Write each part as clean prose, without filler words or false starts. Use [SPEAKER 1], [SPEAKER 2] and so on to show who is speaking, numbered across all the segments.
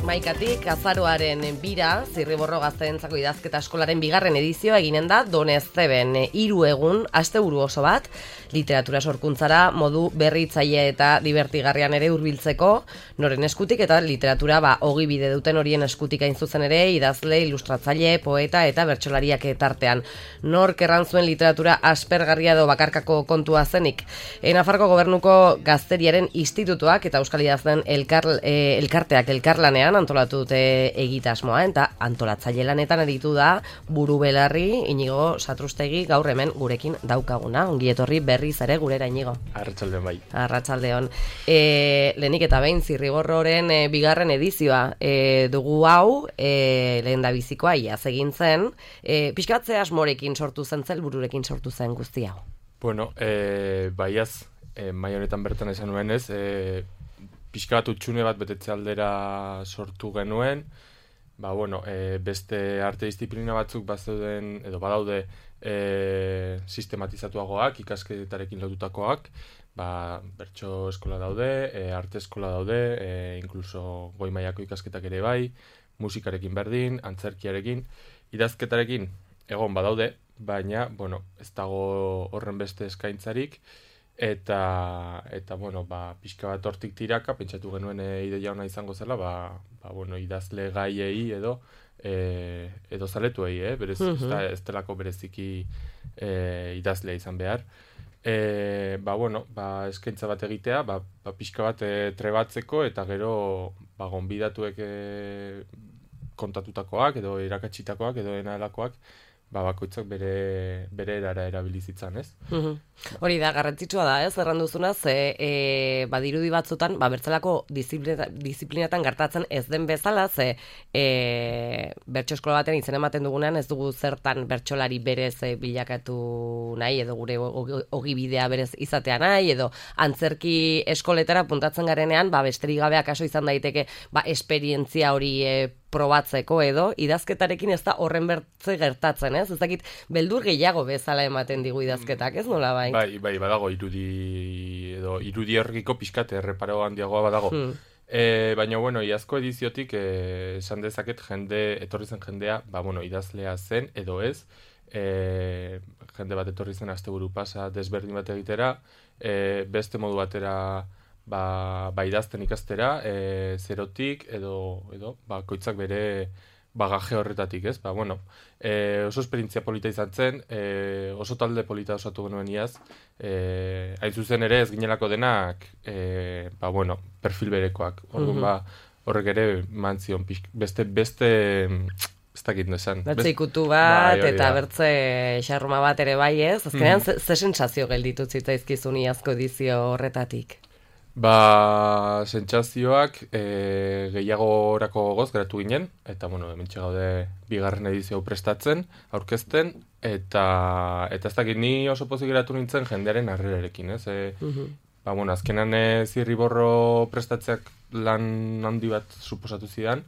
[SPEAKER 1] Maikatik, azaroaren bira, Zirriborro Gazteentzako idazketa eskolaren bigarren edizioa eginen da Donezteben 3 egun, asteburu oso bat, literatura sorkuntzara modu berritzaile eta divertigarrian ere hurbiltzeko, noren eskutik eta literatura ogibide duten horien eskutik hain zuzen ere, idazle, ilustratzaile, poeta eta bertsolariak tartean. Nork erran zuen literatura aspergarria edo bakarkako kontua zenik. Nafarroko Gobernuko Gazteriaren Institutuak eta Euskal Idazleen elkarteak elkarlanean antolatu dute egitasmoa, eta antolatzaile lanetan aritu da buru belarri Inigo Satrustegi gaur hemen gurekin daukaguna. Ongi etorri berriz ere gurera, Inigo.
[SPEAKER 2] Arratsaldeon bai.
[SPEAKER 1] Arratsaldeon. Lehenik eta behin Zirriborroren bigarren edizioa dugu hau, lehendabizikoa iaz egin zen. Pixka bat ze asmorekin sortu zen, helbururekin sortu zen guzti hau?
[SPEAKER 2] Bueno, baiaz, mai honetan bertan esan nuenez, pixka bat utxune bat betetze aldera sortu genuen, beste arte disiplina batzuk bazeuden, edo badaude sistematizatuagoak, ikasketarekin lotutakoak, bertso eskola daude, arte eskola daude, inkluso goi mailako ikasketak ere bai, musikarekin berdin, antzerkiarekin, idazketarekin egon badaude, baina, ez dago horren beste eskaintzarik, eta pixka bat hortik tiraka, pentsatu genuen ideia ona izango zela, idazle gaiei edo zaletuei, berez, ez delako bereziki idazlea izan behar. Eskaintza bat egitea, pixka bat trebatzeko, eta gero gonbidatuek kontatutakoak, edo irakatsitakoak, edo enalakoak, bakoitzak bere erara erabilizitzan, ez?
[SPEAKER 1] Hori da, garrantzitsua da, ez? Erran duzuna, badirudi batzutan, bertzelako disiplinatan gertatzen ez den bezala, bertso eskola baten izen ematen dugunean, ez dugu zertan bertsolari berez bilakatu nahi, edo gure ogibidea berez izatea nahi, edo antzerki eskoletara puntatzen garenean, besterik gabe akaso izan daiteke, esperientzia hori probatzeko edo, idazketarekin ez da horren bertze gertatzen, ez? Ez dakit, beldur gehiago bezala ematen digu idazketak, ez nola bai?
[SPEAKER 2] Bai, badago irudi horrekiko pixkat erreparo handiagoa badago. Baina, iazko ediziotik esan dezaket etorri zen jendea, idazlea zen edo ez, jende bat etorri zen asteburu pasa desberdin bat egitera, beste modu batera idazten ikastera, zerotik edo koitzak bere bagaje horretatik, ez? Oso esperientzia polita izan zen, oso talde polita osatu genuen iaz, hain zuzen ere ez ginelako denak, perfil berekoak. Horrek ere mantzion, beste ez dakit nesan.
[SPEAKER 1] Bertze ikutu bat, eta bertze xarruma bat ere bai, ez? Azkenean, ze sensazio gelditu zitzaizkizun iazko edizio horretatik?
[SPEAKER 2] Sentsazioak gehiago orako gogoz geratu ginen, eta hementxe gaude bigarren edizio prestatzen, aurkezten, eta ez dakit ni oso pozik geratu nintzen jendearen harrerarekin, ez? Azkenan Zirriborro prestatzeak lan handi bat suposatu zidan,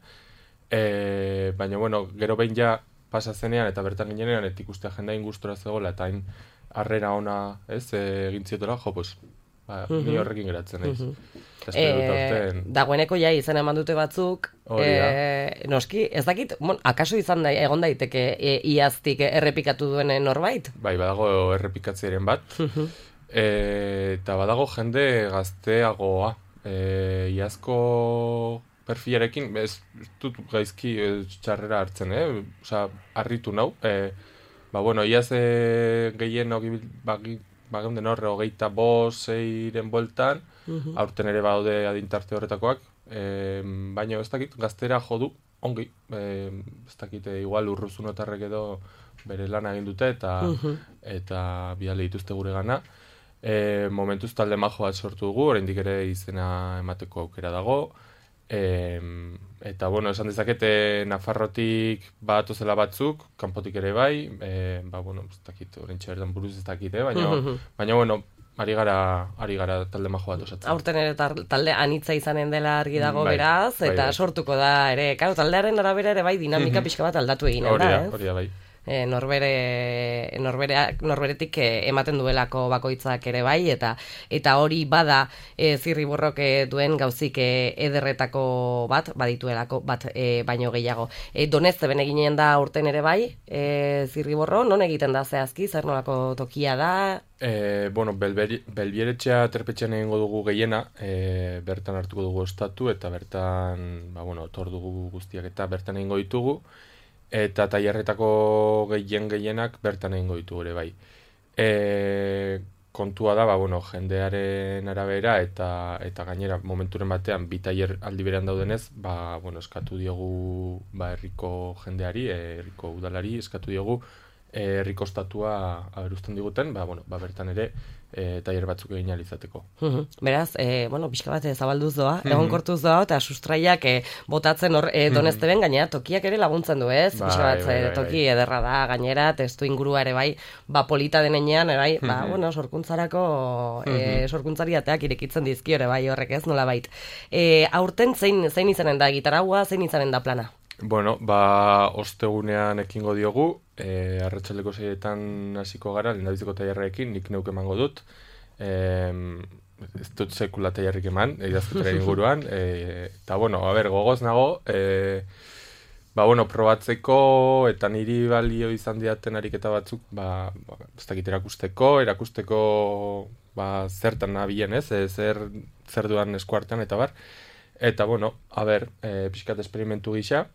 [SPEAKER 2] baina gero behin ja pasa zenean eta bertan ginenean, eta ikustea jendea ingustora zegoela, eta hain harrera ona egin ziotela, ni horrekin geratzen naiz.
[SPEAKER 1] Dagoeneko izan eman dute batzuk, noski, ez dakit, akaso egon daiteke iaztik errepikatu duen norbait?
[SPEAKER 2] Bai, badago errepikatzearen bat, eta badago jende gazteagoa, iazko perfilarekin, ez dut gaizki txarrera hartzen, harritu nau, iaz gehien bageunden horre 25-6-ren bueltan, aurten ere baude adintarte horretakoak, baina ez dakit, gaztera jodu, ongi, ez dakit, igual urruzunotarrek edo bere lan egin dute, eta bidale dituzte gure gana. Momentuz talde majo bat sortu dugu, oraindik ere izena emateko aukera dago, eta esan dezakete Nafarrotik batozela batzuk, kanpotik ere bai, ez dakit, orentxe berdan buruz ez dakit, baina ari gara talde majo bat osatzen.
[SPEAKER 1] Aurten ere talde anitza izanen dela argi dago
[SPEAKER 2] Bai,
[SPEAKER 1] beraz, eta
[SPEAKER 2] bai.
[SPEAKER 1] sortuko da ere, claro, taldearen arabera ere bai dinamika pixka bat aldatu eginen da, ez?
[SPEAKER 2] Hori da, bai.
[SPEAKER 1] Norberetik ematen duelako bakoitzak ere bai, eta hori bada Zirriborrok duen gauzik ederretako bat, badituelako bat baino gehiago. Donezteben eginen da urten ere bai, Zirriborro, non egiten da zehazki, zer nolako tokia da?
[SPEAKER 2] Belbieretxea terpetxean egingo dugu gehiena, bertan hartuko dugu ostatu, eta bertan, tor dugu guztiak eta bertan egingo ditugu, eta tailerretako gehienak bertan egingo ditugu ere bai. Kontua da, jendearen arabera eta gainera momenturen batean bi tailer aldi berean daudenez, eskatu diogu herriko jendeari, herriko udalari eskatu diogu herriko ostatua aberusten diguten, bertan ere tailer batzuk egin ahal izateko.
[SPEAKER 1] Beraz, pixka bat zabalduz doa, egonkortuz doa, eta sustraiak botatzen hor Donezteben, gainera tokiak ere laguntzen du, ez? Pixka bat toki ederra da, gainera, testu ingurua ere bai, polita denean, bai, sorkuntzarako, sorkuntzari ateak irekitzen dizkio ere bai horrek, ez, nola bait. Aurten zein izanen da gitaragua, zein izanen da plana?
[SPEAKER 2] Ostegunean ekingo diogu, arratsaldeko 6etan hasiko gara, lehendabiziko tailerrekin, nik neuk emango dut. Ez dut sekula tailerrik eman, idazketaren inguruan. Eta, gogoz nago, probatzeko eta niri balio izan didaten ariketa batzuk, ez dakit erakusteko zertan nabilen ez, zer duan eskuartean eta bar. Eta, pixkat esperimentu gisa.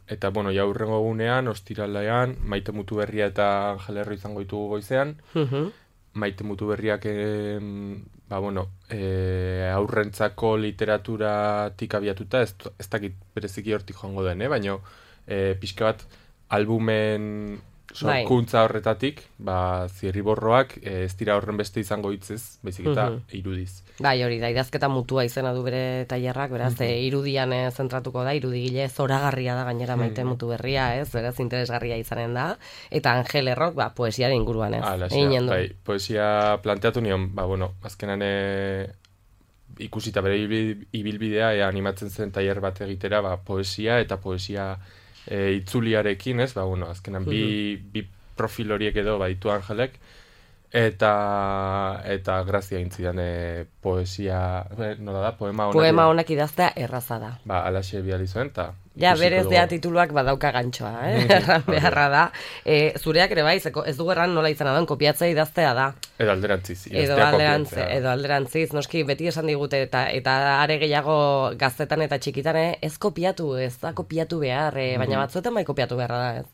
[SPEAKER 2] Eta, jaurrengo egunean, ostiralean, Maite Mutuberria eta Angel Erro izango ditugu goizean. Maite Mutuberriak, aurrentzako literaturatik abiatuta, ez dakit bereziki hortik joango den, baina pixka bat albumen sorkuntza horretatik, Zirriborroak ez dira horren beste izango hitzez, baizik eta irudiz.
[SPEAKER 1] Bai, hori da, idazketa mutua izena du bere tailerrak, beraz, irudian zentratuko da, irudigile zoragarria da gainera Maite Mutuberria, ez, beraz, interesgarria izanen da, eta Angel Errok, poesiaren inguruan, ez, eginen du.
[SPEAKER 2] Bai, poesia planteatu nion, azkenan ikusita bere ibilbidea, animatzen zen tailer bat egitera, poesia eta poesia itzuliarekin, ez, azkenan bi profil horiek edo baditu Angelek, eta grazia intzidan poesia, nola da,
[SPEAKER 1] poema honak idaztea erraza da.
[SPEAKER 2] Alaxe bihali zuen, eta
[SPEAKER 1] ja, berez dea tituluak badauka gantxoa, erran beharra da. Zureak ere bai, ez du erran nola izan da, kopiatzea idaztea da.
[SPEAKER 2] Edo alderantziz.
[SPEAKER 1] Edo alderantziz, noski beti esan digute, eta are gehiago gaztetan eta txikitan, ez kopiatu, ez da kopiatu behar, baina batzuetan bai kopiatu beharra da, ez?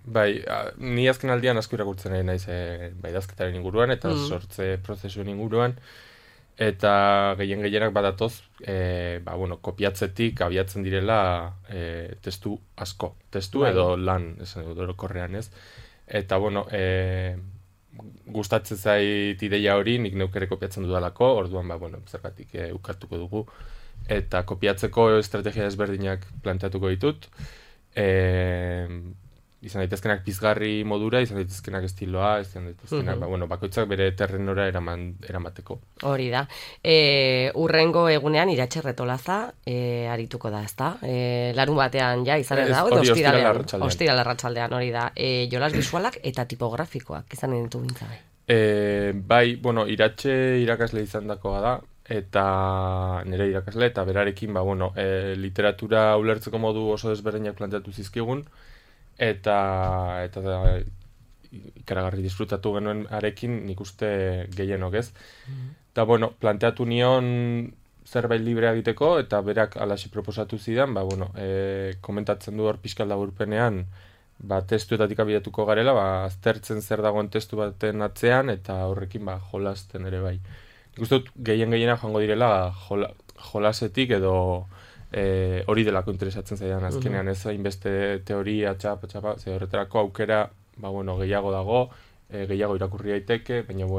[SPEAKER 2] Bai, ni azken aldian asko irakurtzen nahi naiz idazketaren inguruan, eta sortze prozesuen inguruan, eta gehienak badatoz, kopiatzetik abiatzen direla testu asko, testu edo lan, esan dut orokorrean ez, eta gustatzen zait ideia hori, nik neuk ere kopiatzen dudalako, orduan zergatik ukatuko dugu, eta kopiatzeko estrategia desberdinak planteatuko ditut, izan daitezkenak pizgarri modura, izan daitezkenak estiloa, izan daitezkenak, bakoitzak bere terrenora eramateko.
[SPEAKER 1] Hori da. Urrengo egunean Iratxe Retolaza arituko da, ezta? Larun batean ja izanen da, ostiral arratsaldean, hori da. Jolas bisualak eta tipografikoak izan ditu bintzabe.
[SPEAKER 2] Bai, Iratxe irakasle izan dakoa da, eta nire irakasle, eta berarekin, literatura ulertzeko modu oso desberdinak planteatu zizkigun, eta ikaragarri disfrutatu genuen arekin nik uste gehienok ez. Eta, planteatu nion zerbait libre egiteko, eta berak alaxi proposatu zidan, komentatzen du hor pixkal laburpenean, testuetatik abiatuko garela, aztertzen zer dagoen testu baten atzean, eta horrekin jolasten ere bai. Nik uste dut gehienak joango direla jolasetik edo hori delako interesatzen zaidan azkenean, ez hainbeste teoria, txapa, ze horretarako aukera, gehiago dago, gehiago irakurri daiteke, baina,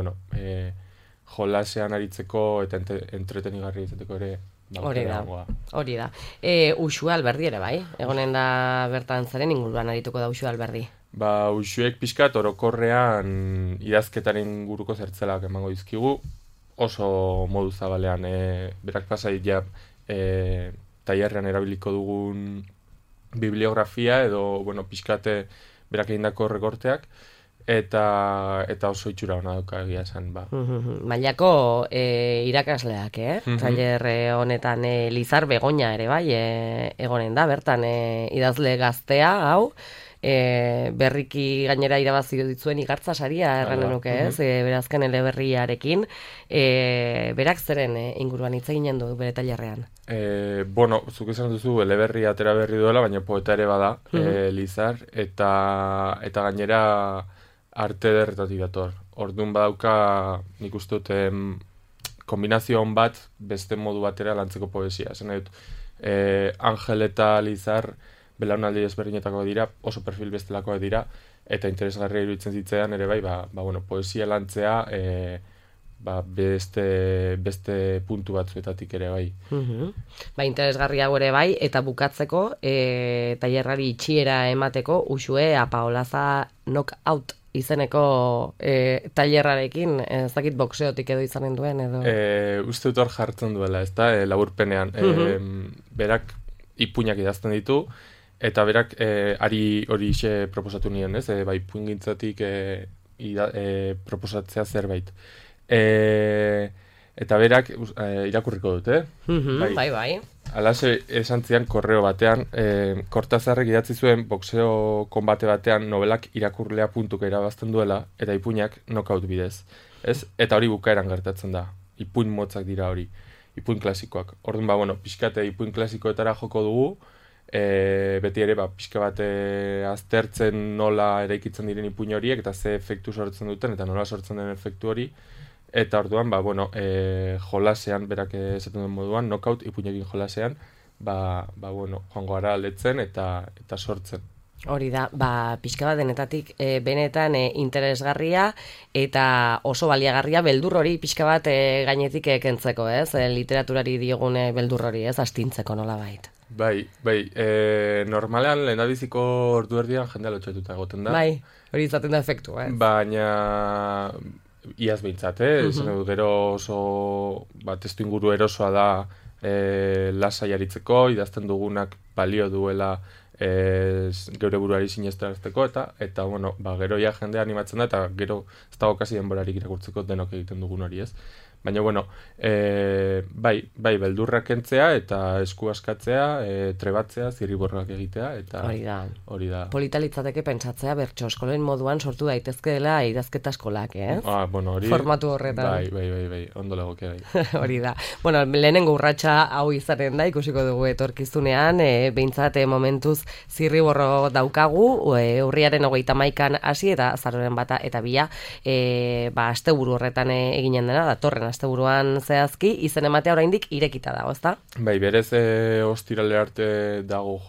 [SPEAKER 2] jolasean aritzeko eta entretenigarri izateko ere,
[SPEAKER 1] hori da. Uxue Alberdi ere bai, egonen da bertan zaren inguruan arituko da Uxue Alberdi.
[SPEAKER 2] uxuek pixkat orokorrean idazketaren guruko zertzelak emango dizkigu, oso modu zabalean, berak pasai ja tailerrean erabiliko dugun bibliografia edo, bueno, pixkate berak egindako rekorteak, eta oso itxura hona dauka egia esan, ba.
[SPEAKER 1] Mailako irakasleak, Tailer honetan Lizar Begoña ere bai, egonen da, bertan idazle gaztea, hau, berriki gainera irabazi ditzuen igartza saria erran nuke, ez? Berazken eleberriarekin, berak zeren inguruan hitz eginen du bere tailerrean.
[SPEAKER 2] Bueno, zuk esan duzu eleberri atera berri duela, baina poeta ere bada, Lizar, eta gainera arte ederretatik dator. Orduan badauka, nik uste dut, kombinazio on bat beste modu batera lantzeko poesia. Esan dut, Angel eta Lizar belaunaldi ezberdinetako dira, oso perfil bestelakoak dira, eta interesgarria iruditzen zitzaidan ere bai, bueno, poesia lantzea beste puntu batzuetatik ere bai.
[SPEAKER 1] Interesgarria ere bai, eta bukatzeko, tailerrari itxiera emateko, Uxue Apaolaza Knockout izeneko tailerrarekin, ez dakit boxeotik edo izanen duen, edo?
[SPEAKER 2] Uste dut hor jartzen duela, ez da, laburpenean. Berak ipuinak idazten ditu, eta berak ari hori ise proposatu nion, ez? Ipuin gintzatik proposatzea zerbait. Eta berak irakurriko dut,
[SPEAKER 1] Bai.
[SPEAKER 2] Alase esan zian korreo batean, Kortazarrek idatzi zuen boxeo konbate batean novelak irakurlea puntuka irabazten duela, eta ipuinak knockout bidez. Ez? Eta hori bukaeran gertatzen da. Ipuin motzak dira hori. Ipuin klasikoak. Orduan, bueno, pixkate ipuin klasikoetara joko dugu, beti ere, pixka bat aztertzen nola eraikitzen diren ipuin horiek, eta ze efektu sortzen duten, eta nola sortzen den efektu hori. Eta orduan, bueno, jolasean, berak esaten duen moduan, knockout ipuinekin jolasean, bueno, joango gara aldetzen eta sortzen.
[SPEAKER 1] Hori da, pixka bat denetatik benetan interesgarria eta oso baliagarria beldur hori pixka bat gainetik kentzeko, ez? Literaturari diogun beldur hori, ez? Astintzeko nola bait.
[SPEAKER 2] Bai, normalean lehendabiziko ordu erdian jendea lotxatuta egoten da.
[SPEAKER 1] Bai, hori izaten da efektu, ez?
[SPEAKER 2] Baina iaz behintzat, gero oso testu inguru erosoa da lasai aritzeko, idazten dugunak balio duela geure buruari sinestarazteko, eta bueno, gero ja jendea animatzen da, eta gero ez dago kasi denborarik irakurtzeko denok egiten dugun hori, ez? Baina, bueno, beldurrak kentzea eta esku askatzea, trebatzea, zirriborrak egitea, eta hori da.
[SPEAKER 1] Polita litzateke pentsatzea bertso eskolen moduan sortu daitezkeela idazketa eskolak, ez?
[SPEAKER 2] Bueno, hori...
[SPEAKER 1] Formatu horretan.
[SPEAKER 2] Bai, ondo legoke, bai.
[SPEAKER 1] Hori da. Bueno, lehenengo urratsa hau izaten da, ikusiko dugu etorkizunean, behintzat momentuz zirriborro daukagu, urriaren 31an hasi eta azaroaren 1 eta 2, asteburu horretan eginen dena, datorren asteburuan zehazki, izen ematea oraindik irekita dago, ezta?
[SPEAKER 2] Bai, berez ostirale arte dago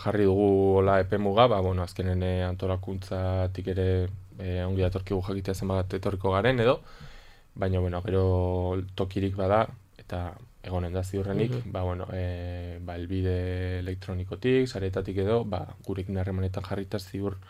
[SPEAKER 2] jarri dugu hola epemuga, bueno, azkenen antolakuntzatik ere ongi datorkigu jakitea zenbat etorriko garen edo, baina, bueno, gero tokirik bada, eta egonen da ziurrenik, bueno, elbide elektronikotik, saretatik edo, gurekin harremanetan jarrita ziur